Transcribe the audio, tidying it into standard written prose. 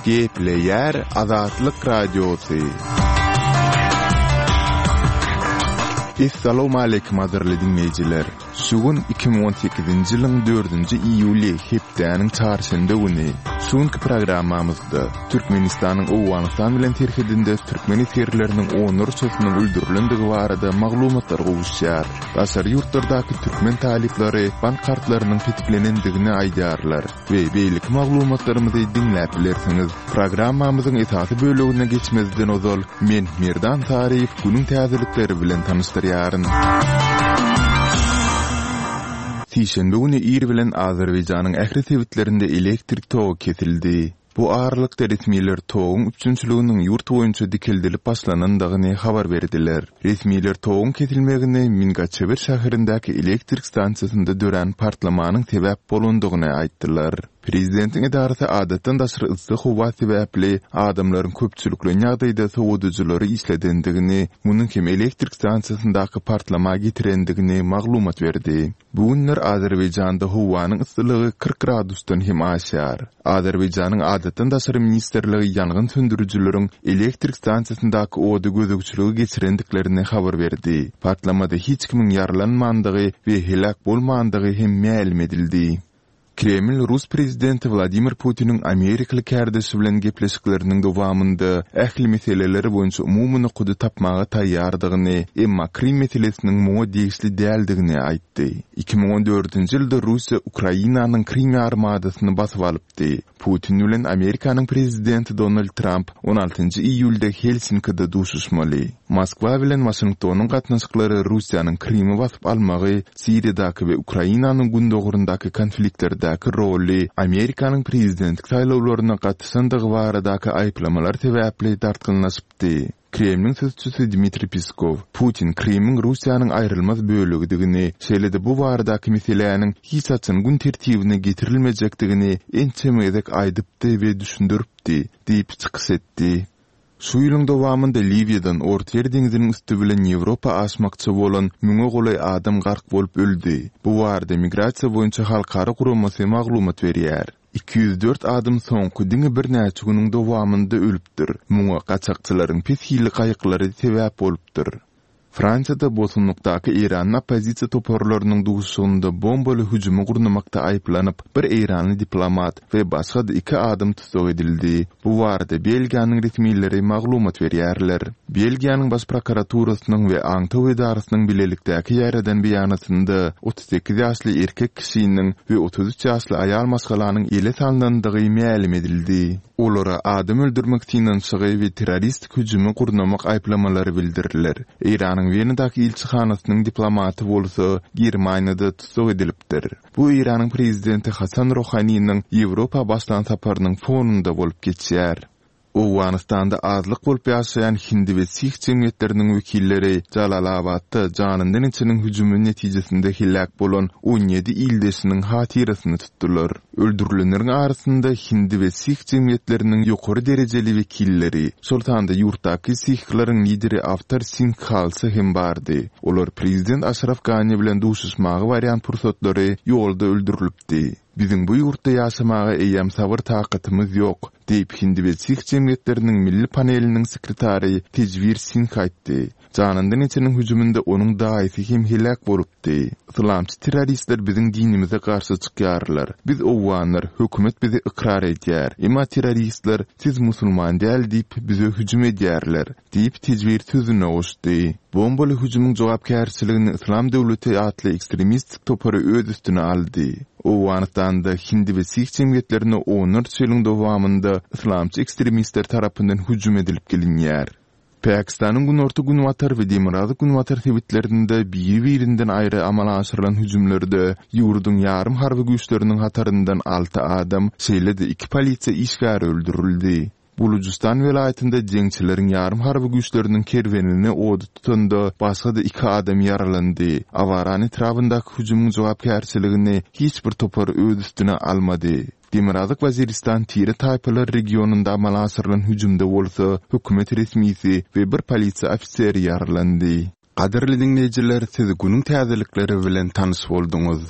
Gepleýär Azatlyk Radiosy. Essalawmaleýkim gadyrly diňleýjiler! Şu gün 2018-nji ýylyň dördünji iýuly hepdäniň çarşenbe güni. Şu günki programmamyzda Türkmenistanyň Owganystan bilen serhedinde türkmen esgerleriniň onlarçasynyň öldürilendigi barada maglumatlar gowuşýar. Daşary ýurtlardaky türkmen talyplary bank kartlarynyň petiklenendigini aýdýarlar we beýleki maglumatlarymyzy diňläp bilersiňiz. Programmamyzyň esasy bölegine geçmezden ozal, men Merdan Saryýew günüň täzelikleri bilen tanyşdyrýaryn. Sişenbe güni ir bilen Azerbaýjanyň ähli sebitlerinde elektrik togy kesildi. Bu aralykda resmiler toguň üpjünçiliginiň ýurt boýunça dikeldilip başlanandygyny habar berdiler. Resmiler toguň kesilmegine Mingaçewir şäherindäki elektrik stansiýasynda dörän partlamanyň sebäp bolandygyny aýtdylar. Prezidentiň edarasy adatdan daşary yssy howa sebäpli adamlaryň köpçülikleýin ýagdaýda sowadyjylary işledendigini, munuň hem elektrik stansiýasyndaky partlama getirendigini maglumat berdi. Bu günler Azerbaýjanda howanyň yssylygy 40 gradusdan hem aşýar. Azerbaýjanyň Adatdan daşary ministrligi ýangyn söndürijileriň elektrik stansiýasyndaky ody gözegçilige geçirendiklerini habar berdi. Partlamada hiç kimiň ýaralanmandygy we heläk bolmandygy hem mälim edildi. Kreml rus prezidenti Wladimir Putiniň amerikaly kärdeşi bilen gepleşikleriniň dowamynda ähli meseleler boýunça umumy nokady tapmaga taýýardygyny, emma Krym meselesiniň muňa degişli däldigini aýtdy. 2014-nji ýylda Russiýa Ukrainanyň Krym ýarymadasyny basyp alypdy. Putin bilen Amerikanyň prezidenti Donald Tramp on altynjy iýulda Helsinkide duşuşmaly. Moskwa bilen Waşingtonyň gatnaşyklary Russiýanyň Krymy basyp almagy, Siriýadaky we Ukrainanyň gündogaryndaky konfliktlerdäki roly, Amerikanyň prezidentlik saýlawlaryna gatyşandygy baradaky aýyplamalar sebäpli dartgynlaşypdy. Kremliň sözçüsi Dmitriý Peskow, Putin Krymyň Russiýanyň aýrylmaz bölegidigini, şeýle-de bu baradaky meseläniň hiç haçan gün tertibine getirilmejekdigini ençeme gezek aýdypdy we düşündiripdi diýip çykyş etdi. Şu ýylyň dowamynda Liwiýadan Ortaýer deňziniň üsti bilen Ýewropa aşmakçy bolan müňe golaý adam gark bolup öldi. Bu barada Migrasiýa boýunça halkara guramasy maglumat berýär. 204 adam soňky diňe birnäçe günüň dowamynda ölüpdir. Muňa gaçakçylaryň pes hilli gaýyklary sebäp bolupdyr. Fransiýada bosgunlykdaky eýranly oppozisiýa toparlarynyň duşuşygynda bombaly hüjümi gurnamakda aýyplanyp, bir eýranly diplomat we başga-da iki adam tussag edildi. Bu barada Belgiýanyň resmileri maglumat berýärler. Belgiýanyň Baş prokuraturasynyň we aňtaw edarasynyň bilelikdäki ýaýradan beýanatynda 38 ýaşly erkek kişiniň we 33 ýaşly aýal maşgalanyň ele salnandygy mälim edildi. Olara adam öldürmek synanyşygy we terroristik hüjümi gurnamak aýyplamalary bildiriler. Eýranyň Wenadaky ilçihanasynyň diplomaty bolsa Germaniýada tussag edilipdir. Bu Eýranyň prezidenti Hasan Rohaniniň Ýewropa başlan saparynyň fonunda bolup geçýär. Owganystanda azlyk bolup ýaşaýan hindi we sih jemgyýetleriniň wekilleri Jalalabatda janyndan geçeniň hüjümi netijesinde heläk bolan 17 ildeşiniň hatyrasyny tutdular. Öldürilenleriň arasynda hindi we sih jemgyýetleriniň ýokary derejeli wekilleri, şol sanda ýurtdaky sihleriň lideri Awtar Singh Khalsa hem bardy. Olar prezident Aşraf Gani bilen duşuşmaga barýan pursatlary ýolda öldürilipdi. Biziň bu ýurtda ýaşamaga eýýäm sabyr-takatymyz ýok, diýip, hindi we sih jemgyýetleriniň milli paneliniň sekretary Tejwir Singh aýtdy. Janyndan geçeniň hüjüminde onuň daýysy hem heläk bolupdy. Yslamçy terroristler biziň dinimize garşy çykýarlar. Biz owganlar, hökümet bizi ykrar edýär. Emma terroristler siz musulman däl diýip bize hüjüm edýärler, diýip Tejwir sözüne goşdy. Bombaly hüjümiň jogapkärçiligini Yslam döwleti atly ekstremistik topary öz üstüne aldy. Owganystanda hindi we sih jemgyýetlerine onlarça ýylyň dowamynda yslamçy ekstremistler tarapyndan hüjüm edilip gelinýär. Pakistanyň günorta-günbatar we demirgazyk-günbatar sebitlerinde biri-birinden aýry amala aşyrylan hüjümlerde ýurduň ýarym harby güýçleriniň hataryndan alty adam, şeýle-de iki polisiýa işgäri öldürildi. Bulujystan welaýatynda jeňçileriň ýarym harby güýçleriniň kerwenini oda tutanda başga-da iki adam ýaralandy. Awaran etrabyndaky hüjümiň jogapkärçiligini hiç bir topar öz üstüne almady. Demirgazyk Waziristan tire-taýpalar regionynda amala aşyrylan hüjümde bolsa hökümet resmisi we bir polisiýa ofiseri ýaralandy. Gadyrly diňleýjiler, siz günüň täzelikleri bilen tanyş bolduňyz.